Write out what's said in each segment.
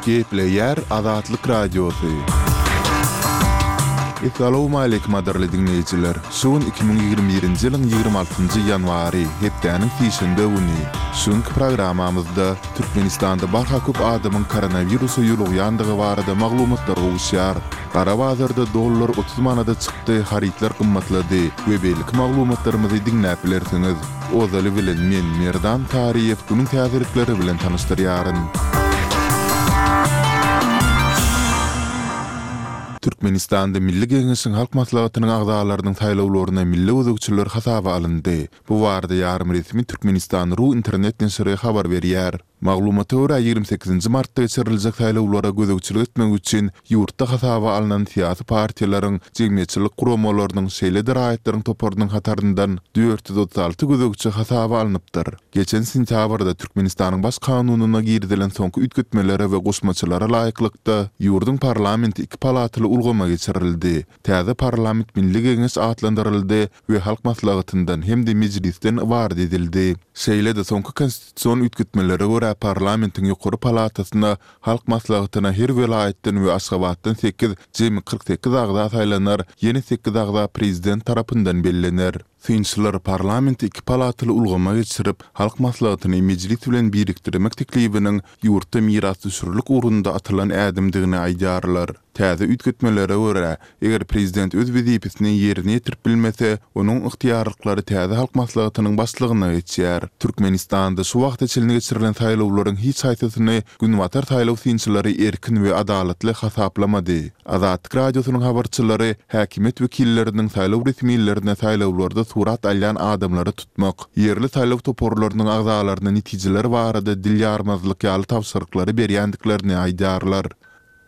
Gepleýär Azatlyk Radiosy. Essalawmaleýkim gadyrly diňleýjiler! Şu gün 2021-nji ýylyň 26-njy ýanwary, hepdäniň sişenbe güni. Şu günki programmamyzda Türkmenistanda barha köp adamyň koronawirusa ýolugýandygy barada maglumatlar gowuşýar. Gara bazarda dollar 30 manada çykdy, harytlar gymmatlady we beýleki maglumatlarymyzy diňläp bilersiňiz. Ozaly bilen men, Merdan Taryýew günüň täzelikleri bilen tanyşdyrýaryn. Türkmenistanda Milli Geňeşiň Halk Maslahatynyň agzalarynyň saýlawlaryna milli gözegçiler hasaba alyndy. Bu barada ýarym resmi Türkmenistan. Ru internet neşiri habar berýär. Maglumata görä, 28 nji martda geçiriljek saýlawlara gözegçilik etmek üçin ýurtda hasaba alnan syýasy partiýalaryň, jemgyýetçilik guramalarynyň, şeýle-de raýatlaryň toparynyň hataryndan 436 gözegçi hasaba alnypdyr. Geçen sentýabrda Türkmenistanyň Baş Kanunyna girizilen soňky üýtgetmelere we goşmaçalara laýyklykda, ýurduň parlamenti iki palataly ulgama geçirildi. Täze parlament Milli Geňeş atlandyryldy we Halk Maslahatyndan hem-de Mejlisden ybarat edildi. Şeýle-de soňky konstitusion üýtgetmelere görä parlamentiň ýokary palatasyna, Halk Maslahatyna her welaýatdan we Aşgabatdan sekiz, jemi 48 agza saýlanar, ýene sekiz agza prezident tarapyndan bellener. Synçylar parlamenti iki palataly ulgama geçirip, Halk Maslahatyny Mejlis bilen birikdirmek teklibiniň ýurtda mirasdüşerlik ugrunda atylan ädimdigini aýdýarlar. Täze üýtgetmelere görä, eger prezident öz wezipesini ýerine ýetirip bilmese, onuň ygtyýarlyklary täze Halk Maslahatynyň başlygyna geçýär. Türkmenistanda şu wagta çenli geçirilen saýlawlaryň hiç haýsysyny Günbatar saýlaw synçylary erkin we adalatly hasaplamady. Azatlyk Radiosynyň habarçylary häkimiýet wekilleriniň saýlaw resmilerine saýlawlarda surat alýan adamlary tutmak, ýerli saýlaw toparlarynyň agzalaryna netijeler barada dil ýarmazlyk ýaly tabşyryklary berýändiklerini aýdýarlar.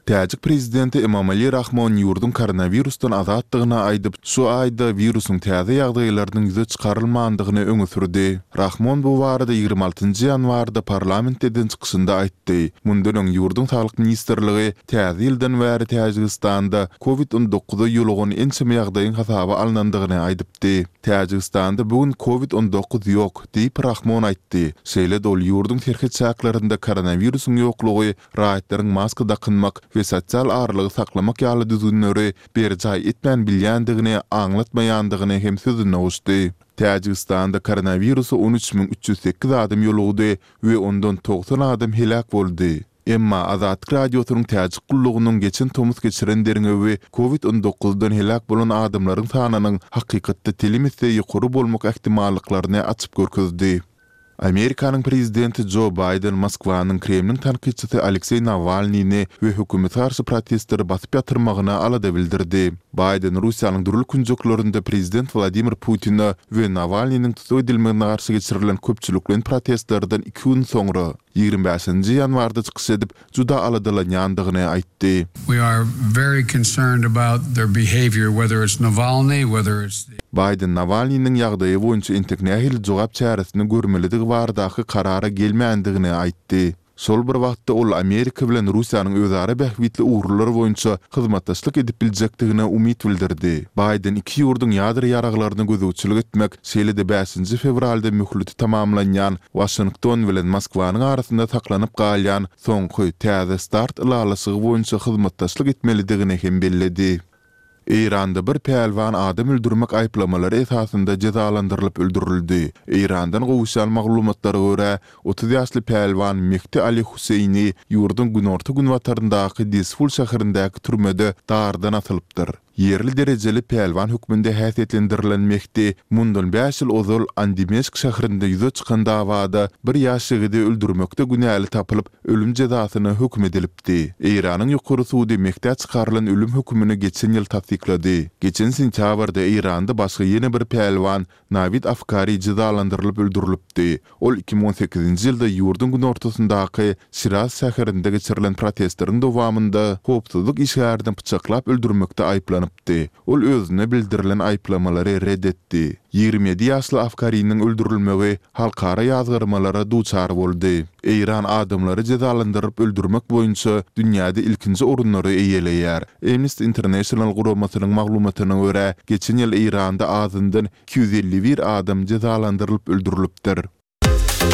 Täjik prezidenti Emomali Rahmon ýurduň koronawirusdan azatdygyny aýdyp, şu aýda wirusyň täze ýagdaýlarynyň ýüze çykarylmandygyny öňe sürdi. Rahmon bu barada 26 nji ýanwarda parlamentde eden çykyşynda aýtdy. Mundan öň ýurduň Saglyk ministrligi täze ýyldan bäri Täjigistanda Covid 19-a ýolugan ençeme ýagdaýyň hasaba alnandygyny aýdypdy. Täjigistanda bu gün Covid 19 ýok, diýip, Rahmon aýtdy. Şeýle-de ol ýurduň serhet çäklerinde koronawirusyň ýoklugy raýatlaryň maska dakynmak we sosial aralygy saklamak ýaly düzgünleri berjaý etmän bilýändigini aňlatmaýandygyny hem sözüne goşdy. Täjigistanda koronawirusa 13 308 adam ýolugdy we ondan 90 adam heläk boldy. Emma Azatlyk Radiosynyň Täjik gullugynyň geçen tomus geçiren derňewi Covid 19-dan heläk bolan adamlaryň sanynyň hakykatda telim esse ýokary bolmak ähtimallyklaryny açyp görkezdi. Amerikanyň prezidenti Jo Baýden Moskwanyň Kremliň tankytçysy Alekseý Nawalnyny we hökümete garşy protestleri basyp ýatyrmagyna alada bildirdi. Baýden Russiýanyň dürli künjeklerinde prezident Wladimir Putine we Nawalnynyň tussag edilmegine garşy geçirilen köpçülikleýin protestlerden iki gün soňra, 25-nji ýanwarda çykyş edip, juda aladalanýandygyny aýtdy. We are very concerned about their behavior, whether it's Navalny, whether it's the. Baýden Nawalnynyň ýagdaýy boýunça entek nähili jogap çäresini görmelidigi baradaky karara gelmändigini aýtdy. Şol bir wagtda ol Amerika bilen Russiýanyň özara bähbitli ugurlar boýunça hyzmatdaşlyk edip biljekdigine umyt bildirdi. Baýden iki ýurduň ýadro ýaraglaryna gözegçilik etmek, şeýle-de bäşinji fewralda möhleti tamamlanýan Waşington bilen Moskwanyň arasynda saklanyp galýan soňky Täze start ylalaşygy boýunça hyzmatdaşlyk etmelidigini hem belledi. Eýranda bir pälwan adam öldürmek aýyplamalary esasynda jezalandyrylyp öldürildi. Eýrandan gowuşýan maglumatlara görä, 30 ýaşly pälwan Mehdi Ali Huseýni ýurduň günorta-günbataryndaky Dezful şäherindäki türmede dardan asylypdyr. Ýerli derejeli pälwan hökmünde häsiýetlendirilen Mehdi mundan bäş ýyl ozal Andimeşk şäherinde ýüze çykan dawada bir ýaş ýigidi öldürmekde günäli tapylyp, ölüm jezasyna höküm edilipdi. Eýranyň ýokary sudy Mehdä çykarylan ölüm hökümini geçen ýyl tassyklady. Geçen sentýabrda Eýranda başga ýene bir pälwan Nawid Afkari jezalandyrylyp öldürilipdi. Ol 2018-nji ýylda ýurduň günortasyndaky Şiraz şäherinde geçirilen protestleriň dowamynda howpsuzlyk işgärini pyçaklap öldürmekde aýyplanypdy. Ol özüne bildirilen aýyplamalary ret etdi. 27 ýaşly Afkariniň öldürilmegi halkara ýazgarmalara duçar boldy. Eýran adamlary jezalandyryp öldürmek boýunça dünýäde ilkinji orunlary eýeleýär. Amnesty International guramasynyň maglumatyna görä, geçen ýyl Eýranda azyndan 251 adam jezalandyrylyp öldürilipdir.